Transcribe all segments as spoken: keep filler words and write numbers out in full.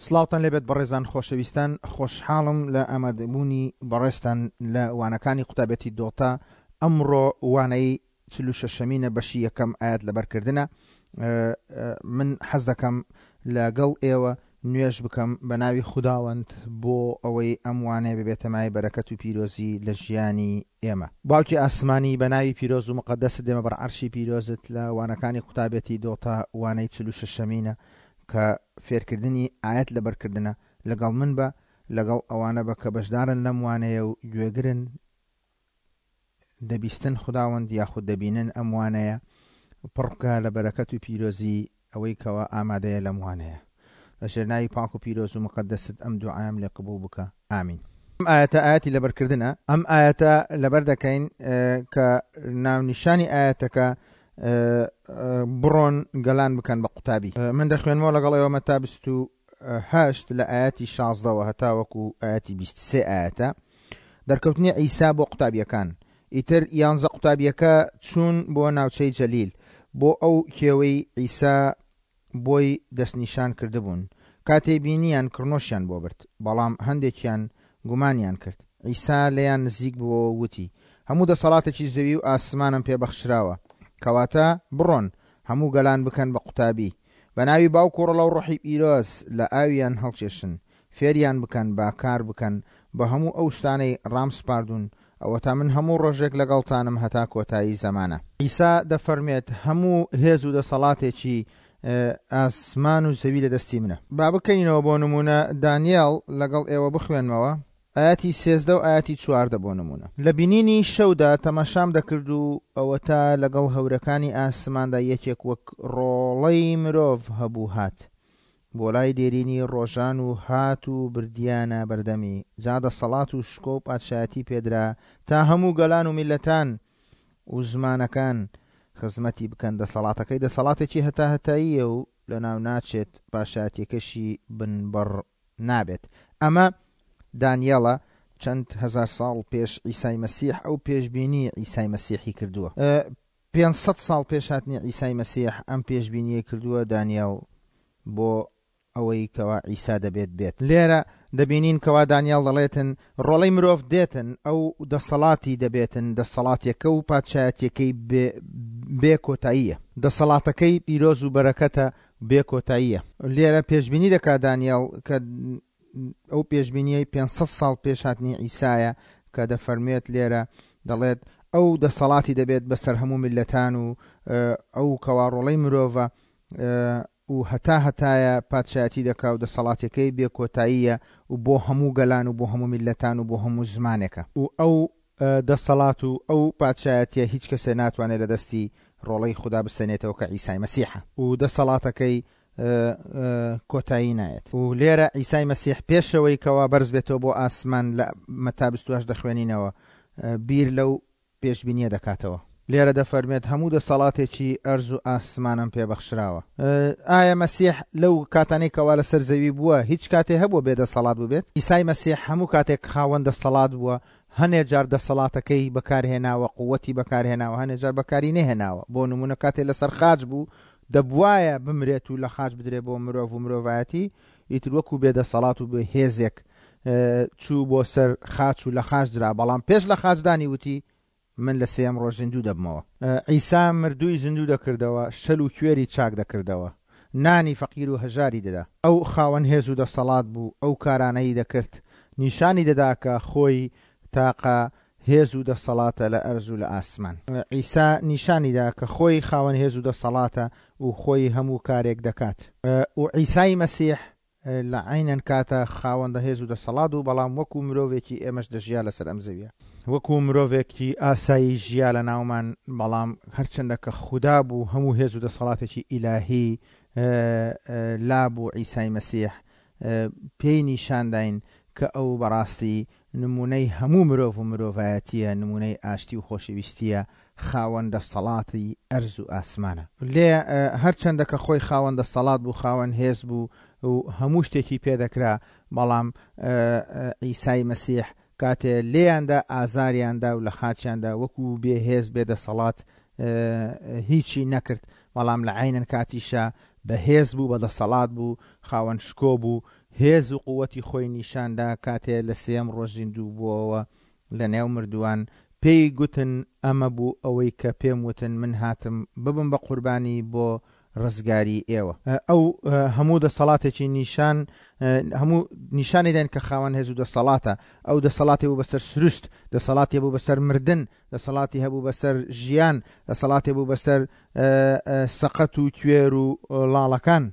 سڵاوتان لێبێت بەڕێزان خۆشەویستان، خۆشحاڵم لە ئامادەبوونی بەڕێزتان لە وانەکانی قوتابێتی دۆتا. ئەمڕۆ وانەی چل و شەشەمینە بەشی یەکەم ئاەت لەبەرکردنە. من حەز دەکەم لەگەڵ ئێوە نوێژ بکەم بە ناوی خوداوەند بۆ ئەوەی ئەم وانەیە ببێتە مایەی بەرەکەت و پیرۆزی لە ژیانی ئێمە. باوکی ئاسمانی بە ناوی پیرۆز و مقەدەست دێمە بەر عەرشی پیرۆزت لە وانەکانی قوتابێتی دۆتا وانەی چل و شەشەمینە کە فێرکردنی ئاەت لەبەرکردنە. لەگەڵ من بە، لەگەڵ ئەوانە بە کە بەشدارن لەم وانەیە و گوێگرن، دەبیستن خوداوەند یاخود دەبینن ئەم وانەیە، پڕ بکە لە بەرەکەت و پیرۆزی ئەوەی کەوا ئامادەیە لەم وانەیە. لە ژێر ناوی پاک و پیرۆز و مقەدەست ئەم دوعایم لێ قبوڵ بکە، ئامین. ئەم ئاەتە ئاەتی لەبەرکردنە. ئەم ئاەتە لەبەر دەکەین کە ناونیشانی ئاەتەکە بڕۆن گەلان بکەن بە قوتابی. من دەخوێنمەوە لەگەڵ ئێوە مەتا بیست و هەشت لە ئاەتی شازدەوە هەتاوەکو ئاەتی بیست سێ ئاەتە. دەرکەوتنی عیسا بۆ قوتابیەکان. ئیتر یانزە قوتابیەکە چوون بۆ ناوچەی جەلیل، بۆ ئەو کێوەی عیسا بۆی دەستنیشان کردبوون. کاتێ بینیان کڕنۆشیان بۆ برد، بەڵام هەندێکیان گومانیان کرد. عیسا لێیان نزیک بووەوە وتی هەموو دەسەڵاتێکی زەوی و ئاسمانم پێبەخشراوە، کەواتە بڕۆن هەموو گەلان بکەن بە قوتابی، بە ناوی باوک و ڕۆڵە و ڕۆحی پیرۆز لە ئاویان هەڵکێشن، فێریان بکەن با کار بکەن بە هەموو ئەو شتانەی ڕام سپاردوون، ئەوەتا من هەموو ڕۆژێک لەگەڵتانم هەتا کۆتایی زەمانە. عیسا دەفەرمێت هەموو هێز و دەسەڵاتێکی ئاسمان و زەوی لە دەستی منە. با بکەینەوە بۆ نمونە دانیێڵ لەگەڵ ئێوە بخوێنمەوە ئاەتی سێزدە و ئاەتی چواردە بۆ نمونە. لە بینینی شەودا تەماشام دەکرد و ئەوەتا لەگەڵ هەورەکانی ئاسماندا یەکێک وەک ڕۆڵەی مرۆڤ هەبوو هات بۆ لای دێرینی ڕۆژان و هات و بردیانە بەردەمی. جا دەسەڵات و شکۆ و پادشایەتی پێدرا تا هەموو گەلان و میلەتان و زمانەکان خزمەتی بکەن. دەسەڵاتەکەی دەسەڵاتێکی هەتا هەتاییە و لەناو ناچێت، پاشایەتیەکەشی بنبڕ نابێت. ئەمە دانیێڵە چەند هەزار ساڵ پێش عیسای مەسیح ئەو پێشبینی عیسای مەسیحی کردووە. پێنج سەد ساڵ پێش هاتنی عیسای مەسیح ئەم پێشبینیە کردووە دانیێڵ بۆ ئەوەی کەوا عیسا دەبێت بێت. لێرە دەبینین کەوا دانیێڵ دەڵێتن ڕۆڵەی مرۆڤ دێتن، ئەو دەسەڵاتی دەبێتن، دەسەڵاتێکە و پادشایەتیەکەی بێ کۆتاییە، دەسەڵاتەکەی پیرۆز و بەرەکەتە بێ کۆتاییە. لێرە پێشبینی دەکات دانیێڵ کە ئەو پێشبینیەی پێنج سەد ساڵ پێش هاتنی عیسایە کە دەفەرموێت لێرە دەڵێت ئەو دەسەڵاتی دەبێت بەسەر هەموو میلەتان و ئەو کەوا ڕۆڵەی مرۆڤە و هەتا هەتایە پادشایەتی دەکا و دەسەڵاتەکەی بێ کۆتاییە و بۆ هەموو گەلان و بۆ هەموو میلەتان و بۆ هەموو زمانێکە. و ئەو دەسەڵات و ئەو پادشایەتیە هیچ کەسێ ناتوانێت لە دەستی ڕۆڵەی خودا بسەنێتەوە کە عیسای مەسیحە و دەسەڵاتەکەی کۆتایی نایەت. و لێرە عیسای مەسیح پێشەوەی کەوا بەرز بێتەوە بۆ ئاسمان لە مەتا بیست و هەشت دەخوێنینەوە بیر لەو پێشبینیە دەکاتەوە. لێرە دەفەرمێت هەموو دەسەڵاتێکی ئەرز و ئاسمانم پێبەخشراوە. ئایا مەسیح لەو کاتانەی کەوا لەسەر زەوی بووە هیچ کاتێ هەبووە بێدەسەڵات بوو بێت؟ عیسای مەسیح هەموو کاتێک خاوەن دەسەڵات بووە، هەنێ جار دەسەڵاتەکەی بەکارهێناوە، قووەتی بەکارهێناوە، هەنێ جار بەکاری نەهێناوە. بۆ نمونە کاتێ لەسەر خاچ بوو دەبوایە بمرێت و لە خاچ بدرێ بۆ مرۆڤ و مرۆڤایەتی، ئیتر وەکو بێدەسەڵات و بێ هێزێک چوو بۆ سەر خاچ و لە خاچ درا، بەڵام پێش لە خاچدانی وتی من لە سێیەم ڕۆژ زیندوو دەبمەوە. عیسا مردووی زیندوو دەکردەوە، شەل و کوێری چاک دەکردەوە، نانی فەقیر و هەژاری دەدا. ئەو خاوەن هێز و دەسەڵات بوو، ئەو کارانەی دەکرد، نیشانی دەدا کە خۆی تاقە هێز و دەسەڵاتە لە ئەرز و لە ئاسمان. عیسا نیشانی دا کە خۆی خاوەن هێز و دەسەڵاتە و خۆی هەموو کارێک دەکات. و عیسای مەسیح لە عینەن کاتە خاوەندە هێز و دەسەڵات و بەڵام وەکو مرۆڤێکی ئێمەش دەژیا لەسەر ئەم زەویە، وەکو مرۆڤێکی ئاسایی ژیا لە ناومان، بەڵام هەرچەندە کە خودا بوو هەموو هێز و دەسەڵاتێکی ئیلاهی لا بوو عیسای مەسیح پێی نیشانداین کە ئەو بەڕاستی نمونەی هەموو مرۆڤ و مرۆڤایەتیە، نمونەی ئاشتی و خۆشەویستیە، خاوەن دەسەڵاتی ئەرز و ئاسمانە. لێ هەرچەندە کە خۆی خاوەن دەسەڵات بوو، خاوەن هێز بوو و هەموو شتێکی پێدەکرا، بەڵام عیسای مەسیح کاتێ لێیاندا ئازاریاندا و لە خاچیاندا وەکو بێهێز بێدەسەڵات هیچی نەکرد، بەڵام لە عینەن کاتیشا بەهێز بوو، بەدەسەڵات بوو، خاوەن شکۆ بوو، هێز و قووەتی خۆی نیشاندا کاتێ لە سێیەم ڕۆژ زیندوو بووەوە لە نێو مردووان. پێی گوتن ئەمە بوو ئەوەی کە پێم وتن من هاتم ببم بە قوربانی بۆ ڕزگاری ئێوە. ئەو هەموو دەسەڵاتێکی نیشان هەموو نیشانی دێن کە خاوەن هێز و دەسەڵاتە. ئەو دەسەڵاتی بوو بەسەر سروشت، دەسەڵاتی بوو بەسەر مردن، دەسەڵاتی هەبوو بەسەر ژیان، دەسەڵاتی بوو بەسەر سەقەت و کوێر و لاڵەکان.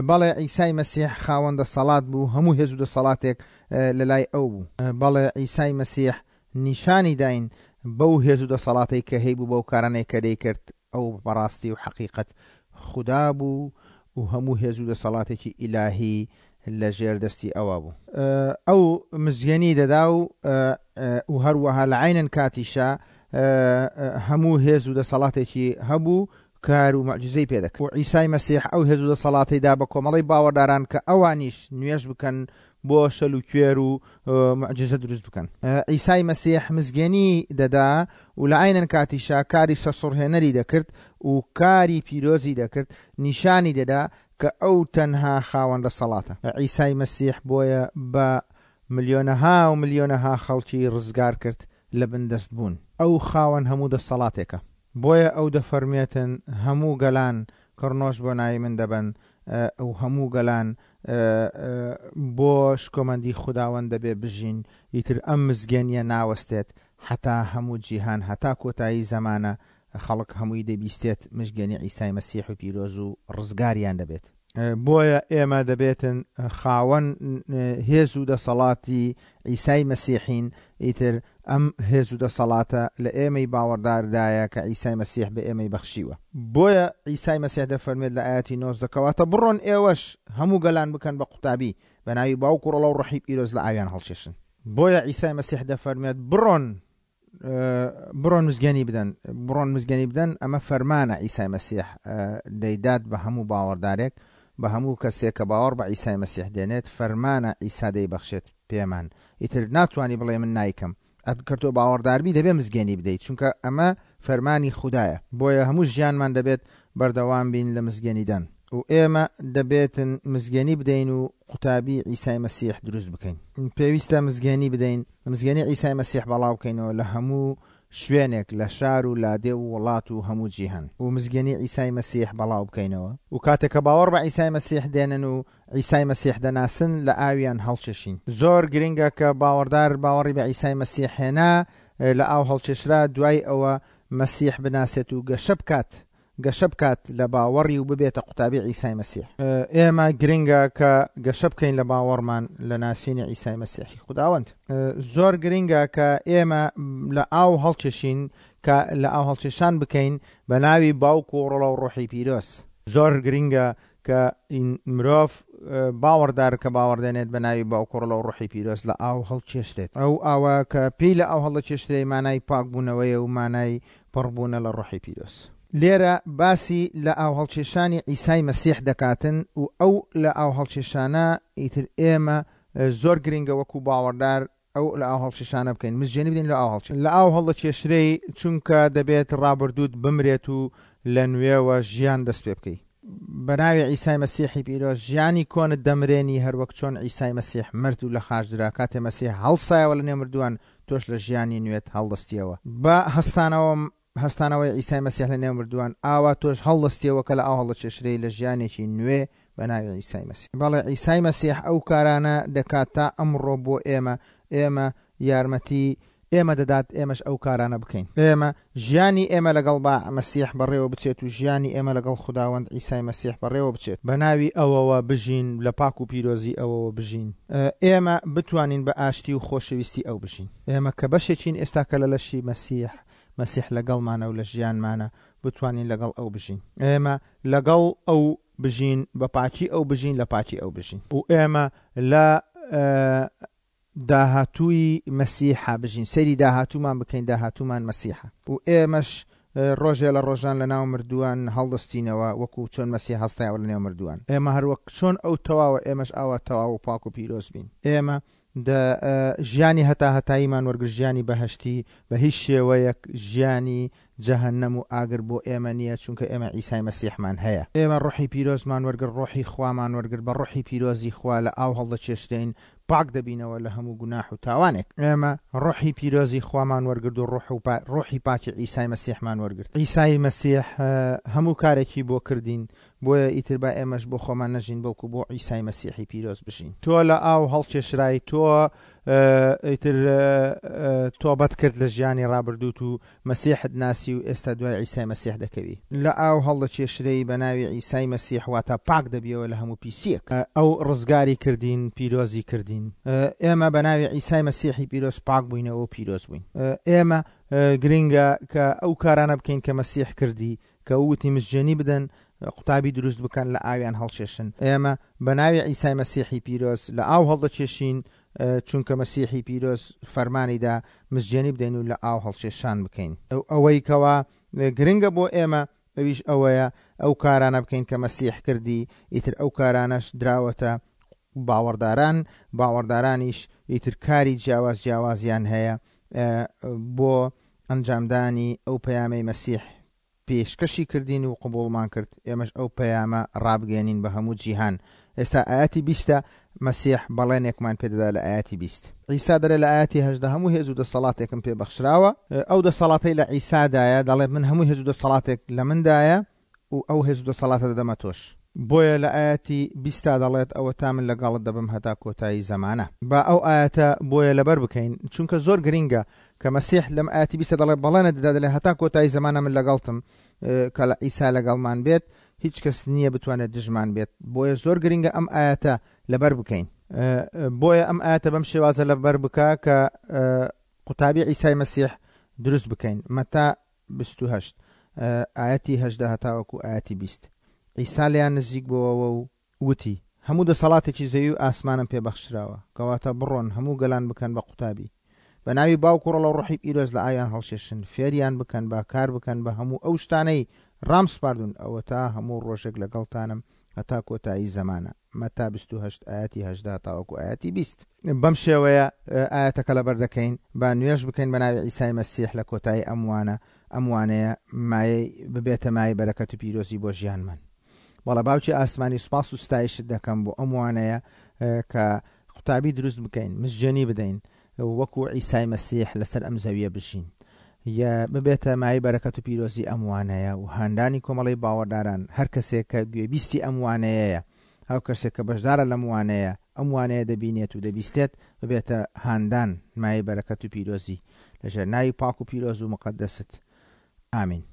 بەڵێ عیسای مەسیح خاوەن دەسەڵات بوو، هەموو هێز و دەسەڵاتێک لە لای ئەو بوو. بەڵێ عیسای مەسیح نیشانی داین بەو هێز و دەسەڵاتێک کە هەیبوو بەو کارانەی کە دەیکرد. ئەو بەڕاستی و حەقیقەت خودا بوو و هەموو هێز و دەسەڵاتێکی ئیلاهی لە ژێر دەستی ئەوە بوو. ئەو مزگێنی دەدا و و هەروەها لە عینەن کاتیشا هەموو هێز و دەسەڵاتێکی هەبوو کار و معجزەی پێ دەکرد. و عیسای مەسیح ئەو هێز و دەسەڵاتی دا بە کۆمەڵەی باوەڕداران کە ئەوانیش نوێژ بکەن بۆ شەل و کوێر و معجزە دروست بکەن. عیسای مەسیح مزگێنی دەدا و لە عینەن کاتیشا کاری سەرسوڕهێنەری دەکرد و کاری پیرۆزی دەکرد، نیشانی دەدا کە ئەو تەنها خاوەن دەسەڵاتە. عیسای مەسیح بۆیە بە ملیۆنەها و ملیۆنەها خەڵکی ڕزگار کرد لە بندەست بوون. ئەو خاوەن هەموو دەسەڵاتێکە، بۆیە ئەو دەفەرمێتن هەموو گەلان کڕنۆش بۆ ناوی من دەبەن و هەموو گەلان بۆ شکۆمەندی خوداوەند دەبێ بژین. ئیتر ئەم مزگێنیە ناوەستێت حتا هەموو جیهان، هەتا کۆتایی زەمانە خەڵک هەمووی دەبیستێت مزگێنی عیسای مەسیح و پیرۆز و ڕزگاریان دەبێت. بۆیە ئێمە دەبێتن خاوەن هێز و دەسەڵاتی عیسای مەسیحین. ئیتر ئەم هێز و دەسەڵاتە لە ئێمەی باوەڕداردایە کە عیسای مەسیح بە ئێمەی بەخشیوە. بۆیە عیسای مەسیح دەفەرمێت لە ئاەتی نۆزدە کەواتە بڕۆن ئێوەش هەموو گەلان بکەن بە قوتابی بە ناوی باوک و ڕۆڵە و ڕۆحی پیرۆز لە ئاویان هەڵکێشن. بۆیە عیسای مەسیح دەفەرمێت بڕۆن بڕۆن مزگێنی بدەن، بڕۆن مزگێنی بدەن. ئەمە فەرمانە عیسای مەسیح دەیدات بە هەموو باوەڕدارێک، بە هەموو کەسێک کە باوەڕ بە عیسای مەسیح دێنێت، فەرمانە عیسا دەیبەخشێت پێمان. ئیتر ناتوانی بڵێ من نایکەم، ئەگەر تۆ باوەڕداربی دەبێ مزگێنی بدەیت، چونکە ئەمە فەرمانی خودایە. بۆیە هەموو ژیانمان دەبێت بەردەوام بین لە مزگێنیدان و ئێمە دەبێتن مزگێنی بدەین و قوتابی عیسای مەسیح دروست بکەین. پێویستە مزگێنی بدەین، مزگێنی عیسای مەسیح بەڵاو بکەینەوە لە هەموو شوێنێک، لە شار و لادێ و وڵات و هەموو جیهان، و مزگێنی عیسای مەسیح بەڵاو بکەینەوە. و کاتێک کە باوەڕ بە عیسای مەسیح دێنن و عیسای مەسیح دەناسن لە ئاویان هەڵچێشین. زۆر گرنگە کە باوەڕدار باوەڕی بە عیسای مەسیح هێنا، لە ئاو هەڵچێشرا، دوای ئەوە مەسیح بناسێت و گەشە بکات، گەشە بکات لە باوەڕی و ببێتە قوتابی عیسای مەسیح. ئێمە گرنگە کە گەشە بکەین لە باوەڕمان لە ناسینی عیسای مەسیحی خوداوەند. زۆر گرنگە کە ئێمە لە ئاو هەڵکێشین، کە لە ئاو هەڵکێشان بکەین بە ناوی باوک و ڕۆڵە و ڕۆحی پیرۆز. زۆر گرنگە کە مرۆڤ باوەڕدار کە باوەڕدێنێت بە ناوی باوک و ڕۆڵە و ڕۆحی پیرۆز لە ئاو هەڵکێشرێت. ئەو ئاوە کە پێی لە ئاو هەڵدەکێشرێ مانای پاکبوونەوەیە و مانای پڕبوونە لە ڕۆحی پیرۆز. لێرە باسی لە ئاو هەڵکێشانی عیسای مەسیح دەکاتن و ئەو لە ئاو هەڵکێشانە ئیتر ئێمە زۆر گرنگە وەکو باوەڕدار ئەو لە ئاو هەڵکێشانە بکەین، مزگێنی بدەین لە ئاو هەڵکێشان. لە ئاو هەڵدەکێشرێی چونکە دەبێت ڕابردووت بمرێت و لە نوێوە ژیان دەست پێ بکەی. بە ناوی عیسای مەسیحی پیرۆز ژیانی کۆنت دەمرێنی، هەروەک چۆن عیسای مەسیح مرد و لە خاچ درا. کاتێ مەسیح هەڵسایەوە لە نێو مردووان، تۆش لە ژیانی نوێت هەڵدەستیەوە. بە هەستانەوە هەستانەوەی عیسای مەسیح لە نێو مردووان، ئاوا تۆش هەڵدەستیەوە کە لە ئاو هەڵدەکێشرێی لە ژیانێکی نوێ بە ناوی عیسای مەسیح. بەڵێ عیسای مەسیح ئەو کارانە دەکات تا ئەمڕۆ بۆ ئێمە، ئێمە یارمەتی ئێمە دەدات ئێمەش ئەو کارانە بکەین. ئێمە ژیانی ئێمە لەگەڵ با مەسیح بەڕێوە بچێت و ژیانی ئێمە لەگەڵ خوداوەند عیسای مەسیح بەڕێوە بچێت، بە ناوی ئەوەوە بژین، لە پاک و پیرۆزی ئەوەوە بژین. ئێمە بتوانین بە ئاشتی و خۆشەویستی ئەو بژین. ئێمە کە بەشێکین ئێستا کە لە لەشی مەسیح، مەسیح لەگەڵمانە و لە ژیانمانە، بتوانین لەگەڵ ئەو بژین. ئێمە لەگەڵ ئەو بژین، بە پاکی ئەو بژین، لە پاکی ئەو بژین. و ئێمە لە داهاتووی مەسیحا بژین، سەیری داهاتوومان بکەین، داهاتوومان مەسیحە. و ئێمەش ڕۆژێ لە ڕۆژان لە ناو مردووان هەڵدەستینەوە وەکو چۆن مەسیح هەستایەوە لە نێو مردووان. ئێمە هەروەک چۆن ئەو تەواوە، ئێمەش ئاوا تەواو و پاک و پیرۆز بین. ئێمە ژیانی هەتا هەتاییمان وەرگر، ژیانی بەهەشتی، بە هیچ شێوەیەک ژیانی جەهەنەم و ئاگر بۆ ئێمە نییە، چونکە ئێمە عیسای مەسیحمان هەیە. ئێمە ڕۆحی پیرۆزمان وەرگر، ڕۆحی خوامان وەرگر، بە ڕۆحی پیرۆزی خوا لە ئاو هەڵدەچێشتین، پاک دەبینەوە لە هەموو گوناح و تاوانێک. ئێمە ڕۆحی پیرۆزی خوامان وەرگرت و ڕۆحی پاکی عیسای مەسیحمان وەرگرت. عیسای مەسیح هەموو کارێکی بۆ کردین، بۆیە ئیتر با ئێمەش بۆ خۆمان نەژین، بەڵکو بۆ عیسای مەسیحی پیرۆز بژین. تۆ لە ئاو هەڵکێشرای، تۆ ئیتر تۆبەت کرد لە ژیانی ڕابردووت و مەسیحت ناسی و ئێستا دوای عیسای مەسیح دەکەوی. لە ئاو هەڵدەکێشرەی بە ناوی عیسای مەسیح، واتە پاک دەبیەوە لە هەموو پیسیەک. ئەو ڕزگاری کردین، پیرۆزی کردین. ئێمە بە ناوی عیسای مەسیحی پیرۆز پاک بووینەوە و پیرۆز بووین. ئێمە گرنگە کە ئەو کارانە بکەین کە مەسیح کردی، کە وتی مزگێنی بدەن، قوتابی دروست بکەن، لە ئاویان هەڵکێشن. ئێمە بە ناوی عیسای مەسیحی پیرۆز لە ئاو هەڵدەکێشین، چونکە مەسیحی پیرۆز فەرمانیدا مزگێنی بدەین و لە ئاو هەڵکێشان بکەین. ئەوەی کەوا گرنگە بۆ ئێمە ئەویش ئەوەیە ئەو کارانە بکەین کە مەسیح کردی، ئیتر ئەو کارانەش دراوەتە باوەڕداران، باوەڕدارانیش ئیتر کاری جیاواز جیاوازیان هەیە بۆ ئەنجامدانی ئەو پەیامەی مەسیح پێشکەشی کردین و قبوڵمان کرد. ئێمەش ئەو پەیامە ڕابگەێنین بە هەموو جیهان. ئێستا ئاەتی بیستە مەسیح بەڵێنێکمان پێدەدا لە ئاەتی بیست. عیسا دەڵێ لە ئاەتی هەژدە هەموو هێز و دەسەڵاتێکم پێ بەخشراوە. ئەو دەسەڵاتەی لە عیسادایە، دەڵێ من هەموو هێز و دەسەڵاتێک لە مندایە و ئەو هێز و دەسەڵاتە دەدەمە تۆش. بۆیە لە ئاەتی بیستا دەڵێت ئەوە تا من لەگەڵت دەبم هەتا کۆتایی زەمانە. با ئەو ئاەتە بۆیە لەبەر بکەین، چونکە زۆر گرنگە کە مەسیح لەم ئاەتی بیستە دەڵێ بەڵێنە دەدا، دەڵێ هەتا کۆتایی زەمانە من لەگەڵتم، کە لە عیسا لەگەڵمان بێت هیچ کەس نییە بتوانێت دژمان بێت. بۆیە زۆر گرنگە ئەم ئاەتە لەبەر بکەین. بۆیە ئەم ئاەتە بەم شێوازە لەبەر بکە کە قوتابی عیسای مەسیح دروست بکەین. مەتا بیست و هەشت ئاەتی هەژدە هەتاوەکو ئاەتی بیست. عیسا لێیان نزیک بووەوە و وتی هەموو دەسەڵاتێکی زەوی و ئاسمانم پێ بەخشراوە، کەواتە بڕۆن هەموو گەلان بکەن بە قوتابی، بە ناوی باوک و ڕۆڵە و ڕۆحی پیرۆز لە ئاویان هەڵشێشن، فێریان بکەن، با کار بکەن بە هەموو ئەو شتانەی ڕام سپاردون، ئەوە تا هەموو ڕۆژێک لەگەڵتانم هەتا کۆتایی زەمانە. مەتا بیست و هەشت ئاەتی هەژدە تاوەکو ئاەتی بیست. بەم شێوەیە ئاەتەکە لەبەر دەکەین، با نوێژ بکەین بە ناوی عیسای مەسیح لە کۆتایی ئەم وانە، ئەم وانەیە مایەی ببێتە مایەی بەرەکەت و پیرۆزی بۆ ژیانمان. بەڵێ باوکی ئاسمانی سوپاس و ستایشت دەکەم بۆ ئەم وانەیە کە قوتابی دروست بکەین، مزگێنی بدەین، وەکو عیسای مەسیح لەسەر ئەم زەویە بژین، یا ببێتە مایەی بەرەکەت و پیرۆزی ئەم وانەیە و هاندانی کۆمەڵەی باوەڕداران. هەر کەسێک کە گوێبیستی ئەم وانەیەیە، ئەو کەسێک کە بەشدارە لەم وانەیە، ئەم وانەیە دەبینێت و دەبیستێت، ببێتە هاندان مایەی بەرەکەت و پیرۆزی لەژێر ناوی پاک و پیرۆز و مقەدەست. ئامین.